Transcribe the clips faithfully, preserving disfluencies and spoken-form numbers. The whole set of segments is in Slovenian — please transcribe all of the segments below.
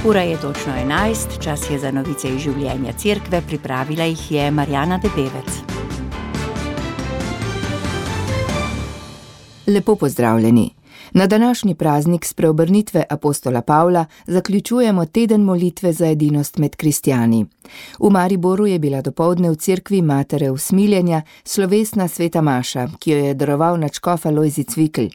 Ura je točno enajst, čas je za novice iz življenja cerkve, pripravila jih je Marjana Debevec. Lepo pozdravljeni. Na današnji praznik spreobrnitve apostola Pavla zaključujemo teden molitve za edinost med kristjani. V Mariboru je bila dopoldne v cerkvi Matere usmiljenja slovesna sveta maša, ki jo je daroval nadškof Alojzij Cvikl.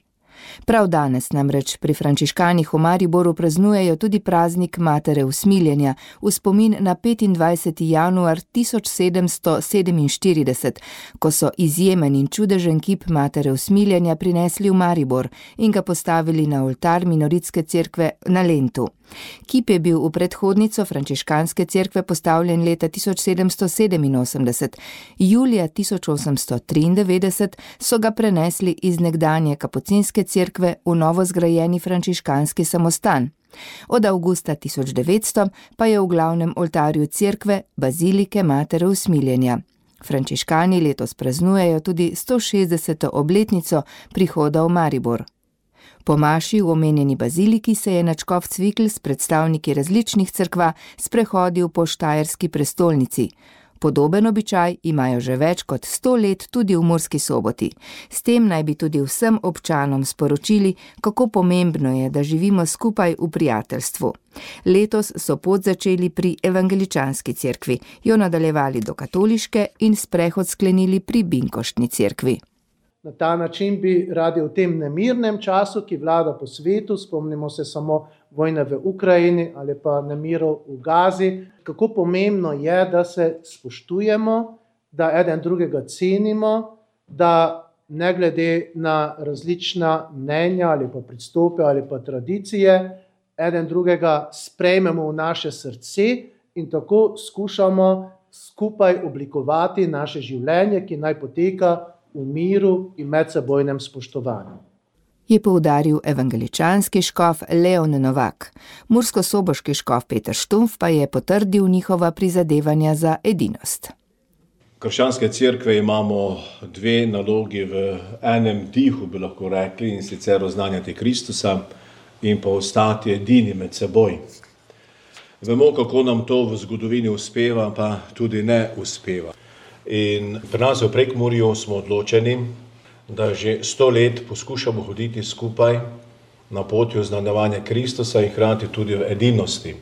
Prav danes namreč pri frančiškanih v Mariboru praznujejo tudi praznik Matere usmiljenja v spomin na petindvajseti januar tisoč sedemsto sedeminštirideset, ko so izjemen in čudežen kip Matere usmiljenja prinesli v Maribor in ga postavili na oltar minoritske cerkve na Lentu. Kip je bil v predhodnico frančiškanske cerkve postavljen leta tisoč sedemsto sedeminosemdeset. Julija tisoč osemsto triindevetdeset so ga prenesli iz nekdanje kapucinske cerkve v novo zgrajeni frančiškanski samostan. Od avgusta tisoč devetsto pa je v glavnem oltarju cerkve bazilike Matere usmiljenja. Frančiškani letos praznujejo tudi sto šestdeseto obletnico prihoda v Maribor. Po maši v omenjeni baziliki se je nadškof Cvikl s predstavniki različnih cerkva sprehodil po štajerski prestolnici. Podoben običaj imajo že več kot sto let tudi v Murski Soboti. S tem naj bi tudi vsem občanom sporočili, kako pomembno je, da živimo skupaj v prijateljstvu. Letos so pot začeli pri evangeličanski cerkvi, jo nadaljevali do katoliške in sprehod sklenili pri binkoštni cerkvi. Na ta način bi radi v tem nemirnem času, ki vlada po svetu, spomnimo se samo vojne v Ukrajini ali pa nemirov v Gazi, kako pomembno je, da se spoštujemo, da eden drugega cenimo, da ne glede na različna mnenja ali pa pristope ali pa tradicije, eden drugega sprejmemo v naše srce in tako skušamo skupaj oblikovati naše življenje, ki naj poteka v miru in medsebojnem spoštovanju. Je poudaril evangeličanski škof Leon Novak. Murskosoboški škof Peter Štumf pa je potrdil njihova prizadevanja za edinost. Krščanske cerkve imamo dve nalogi v enem dihu, bi lahko rekli, in sicer oznanjati Kristusa in pa ostati edini med seboj. Vemo, kako nam to v zgodovini uspeva, pa tudi ne uspeva. In pri nas v Prekmurju smo odločeni, da že sto let poskušamo hoditi skupaj na poti oznanjevanja Kristusa in hkrati tudi v edinosti.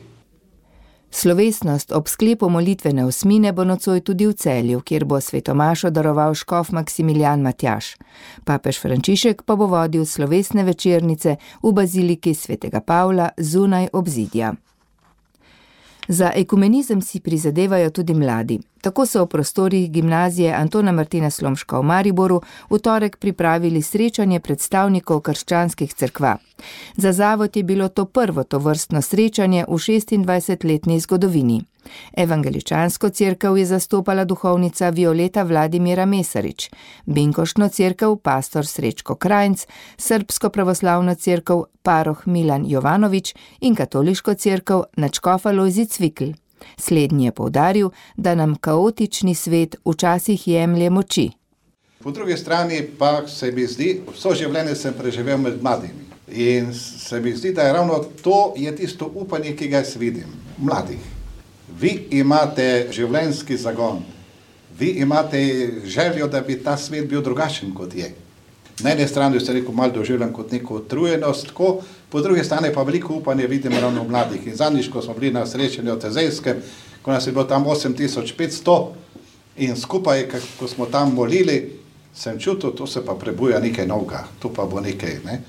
Slovesnost ob sklepu molitvene osmine bo nocoj tudi v Celju, kjer bo svetomašo daroval škof Maksimilijan Matjaž. Papež Frančišek pa bo vodil slovesne večernice v baziliki svetega Pavla zunaj obzidja. Za ekumenizem si prizadevajo tudi mladi. Tako so v prostorih gimnazije Antona Martina Slomška v Mariboru v torek pripravili srečanje predstavnikov krščanskih cerkva. Za zavod je bilo to prvo tovrstno srečanje v šestindvajsetletni zgodovini. Evangeličansko cerkev je zastopala duhovnica Violeta Vladimira Mesarič, binkoštno cerkev pastor Srečko Krajnc, srbsko pravoslavno cerkev paroh Milan Jovanovič in katoliško cerkev nadškof Alojzij Cvikl. Slednji je poudaril, da nam kaotični svet včasih jemlje moči. Po drugi strani pa se mi zdi, vso življenje sem preživel med mladimi. In se mi zdi, da je ravno to je tisto upanje, ki ga jaz vidim. Mladih. Vi imate življenjski zagon. Vi imate željo, da bi ta svet bil drugačen, kot je. Na eni strani se rekel malo doživljam kot neko utrujenost, tako, po drugi strani pa veliko upanje vidim ravno v mladih. In zadnjič, ko smo bili na srečanju v Tezejskem, ko nas je bilo tam osem tisoč petsto in skupaj, ko smo tam molili, sem čutil, to se pa prebuja nekaj novega, to pa bo nekaj, ne.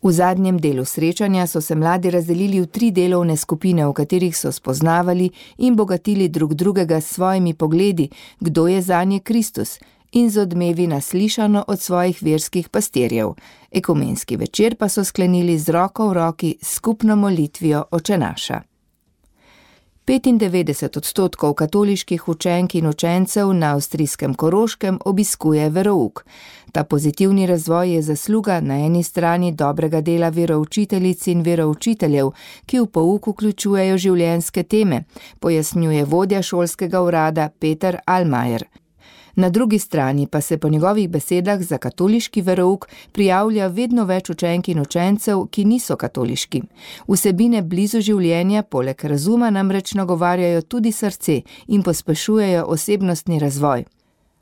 V zadnjem delu srečanja so se mladi razdelili v tri delovne skupine, v katerih so spoznavali in bogatili drug drugega s svojimi pogledi, kdo je zanje Kristus, in z odmevi naslišano od svojih verskih pastirjev. Ekumenski večer pa so sklenili z roko v roki s skupno molitvijo Oče naša. petindevetdeset odstotkov katoliških učenk in učencev na avstrijskem Koroškem obiskuje verouk. Ta pozitivni razvoj je zasluga na eni strani dobrega dela veroučiteljic in veroučiteljev, ki v pouk vključujejo življenjske teme, pojasnjuje vodja šolskega urada Peter Almajer. Na drugi strani pa se po njegovih besedah za katoliški verouk prijavlja vedno več učenk in učencev, ki niso katoliški. Vsebine blizu življenja poleg razuma namreč nagovarjajo tudi srce in pospešujejo osebnostni razvoj.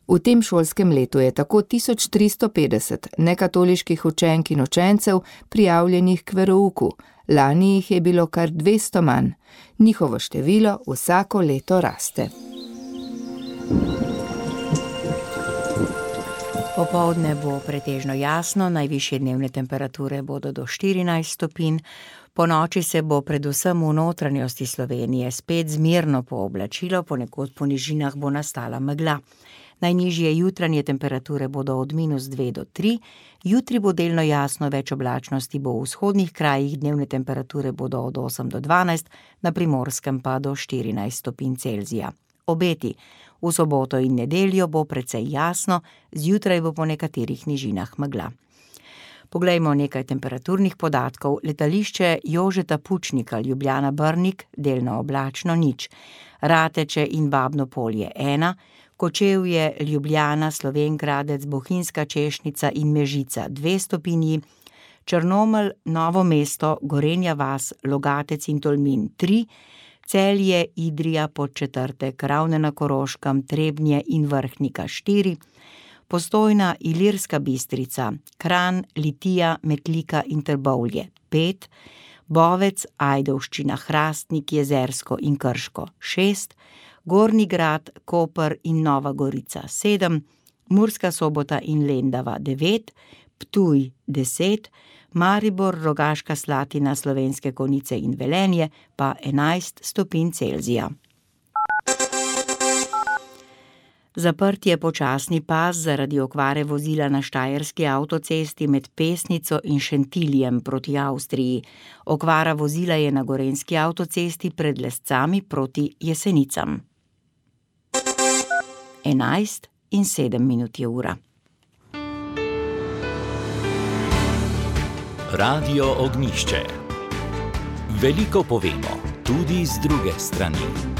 V tem šolskem letu je tako tisoč tristo petdeset nekatoliških učenk in učencev prijavljenih k verouku. Lani jih je bilo kar dvesto manj. Njihovo število vsako leto raste. Popoldne bo pretežno jasno, najvišje dnevne temperature bodo do štirinajst stopinj. Po noči se bo predvsem v notranjosti Slovenije spet zmerno pooblačilo, ponekod po nižinah bo nastala megla. Najnižje jutranje temperature bodo od minus dve do tri, jutri bo delno jasno, več oblačnosti bo v vzhodnih krajih, dnevne temperature bodo od osem do dvanajst, na Primorskem pa do štirinajst stopinj Celzija. Obeti. V soboto in nedeljo bo precej jasno, zjutraj bo po nekaterih nižinah megla. Poglejmo nekaj temperaturnih podatkov. Letališče Jožeta Pučnika, Ljubljana Brnik, delno oblačno nič. Rateče in Babno Polje ena, Kočevje, Ljubljana, Slovenj Gradec, Bohinjska Češnica in Mežica dve stopinji, Črnomelj, Novo mesto, Gorenja vas, Logatec in Tolmin tri, Celje, Idrija, Podčetrtek, Ravne na Koroškem, Trebnje in Vrhnika štiri, Postojna, Ilirska Bistrica, Kranj, Litija, Metlika in Trbovlje pet, Bovec, Ajdovščina, Hrastnik, Jezersko in Krško šest, Gornji Grad, Koper in Nova Gorica sedem, Murska Sobota in Lendava devet, Ptuj deset, Maribor, Rogaška Slatina, Slovenske Konjice in Velenje pa enajst stopinj Celzija. Zaprt je počasni pas zaradi okvare vozila na štajerski avtocesti med Pesnico in Šentiljem proti Avstriji. Okvara vozila je na gorenjski avtocesti pred Lescami proti Jesenicam. enajst in sedem minut je ura. Radio Ognjišče. Veliko povemo, tudi z druge strani.